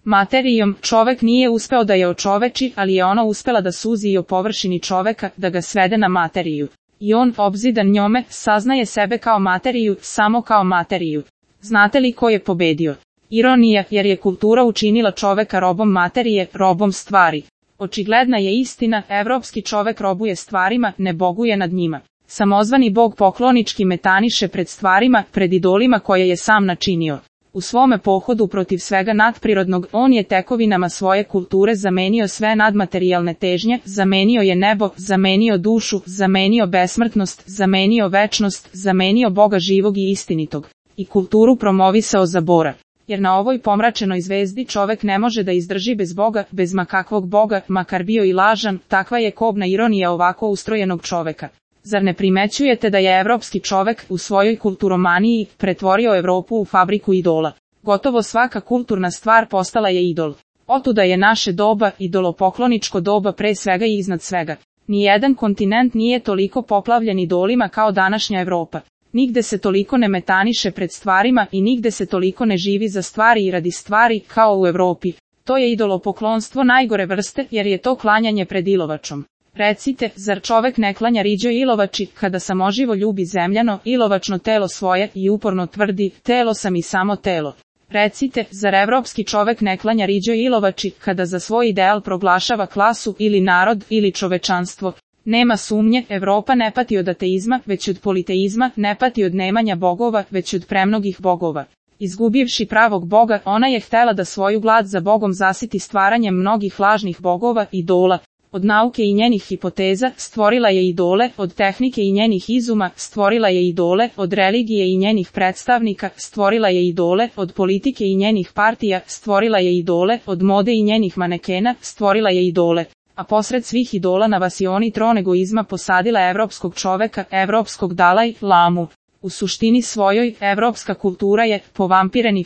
Materijom čovek nije uspeo da je očoveči, ali je ona uspela da suzi i o površini čoveka, da ga svede na materiju. I on, obzidan njome, saznaje sebe kao materiju, samo kao materiju. Znate li ko je pobedio? Ironija, jer je kultura učinila čoveka robom materije, robom stvari. Očigledna je istina, evropski čovek robuje stvarima, ne boguje nad njima. Samozvani bog poklonički metaniše pred stvarima, pred idolima koje je sam načinio. U svome pohodu protiv svega nadprirodnog, on je tekovinama svoje kulture zamenio sve nadmaterijalne težnje, zamenio je nebo, zamenio dušu, zamenio besmrtnost, zamenio večnost, zamenio Boga živog i istinitog. I kulturu promovisao za Bora. Jer na ovoj pomračenoj zvezdi čovek ne može da izdrži bez Boga, bez makakvog Boga, makar bio i lažan, takva je kobna ironija ovako ustrojenog čoveka. Zar ne primećujete da je evropski čovek u svojoj kulturomaniji pretvorio Evropu u fabriku idola? Gotovo svaka kulturna stvar postala je idol. Otuda je naše doba, idolopokloničko doba pre svega i iznad svega. Nijedan kontinent nije toliko poplavljen idolima kao današnja Evropa. Nigde se toliko ne metaniše pred stvarima i nigde se toliko ne živi za stvari i radi stvari kao u Evropi. To je idolopoklonstvo najgore vrste jer je to klanjanje pred ilovačom. Recite, zar čovek ne klanja riđoj ilovači, kada samoživo ljubi zemljano, ilovačno telo svoje i uporno tvrdi, telo sam i samo telo. Recite, zar evropski čovek ne klanja riđoj ilovači, kada za svoj ideal proglašava klasu ili narod ili čovečanstvo. Nema sumnje, Evropa ne pati od ateizma, već od politeizma, ne pati od nemanja bogova, već od premnogih bogova. Izgubivši pravog Boga, ona je htela da svoju glad za Bogom zasiti stvaranjem mnogih lažnih bogova, idola. Od nauke i njenih hipoteza stvorila je idole, od tehnike i njenih izuma stvorila je idole, od religije i njenih predstavnika stvorila je idole, od politike i njenih partija stvorila je idole, od mode i njenih manekena stvorila je idole. A posred svih idola na vasioni tron egoizma posadila evropskog čoveka, evropskog Dalaj Lamu. U suštini svojoj, evropska kultura je povampireni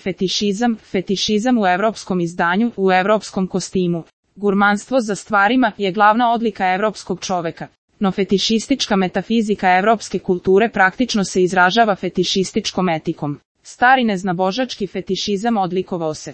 fetišizam u evropskom izdanju, u evropskom kostimu. Gurmanstvo za stvarima je glavna odlika evropskog čoveka. No fetišistička metafizika evropske kulture praktično se izražava fetišističkom etikom. Stari neznabožački fetišizam odlikovao se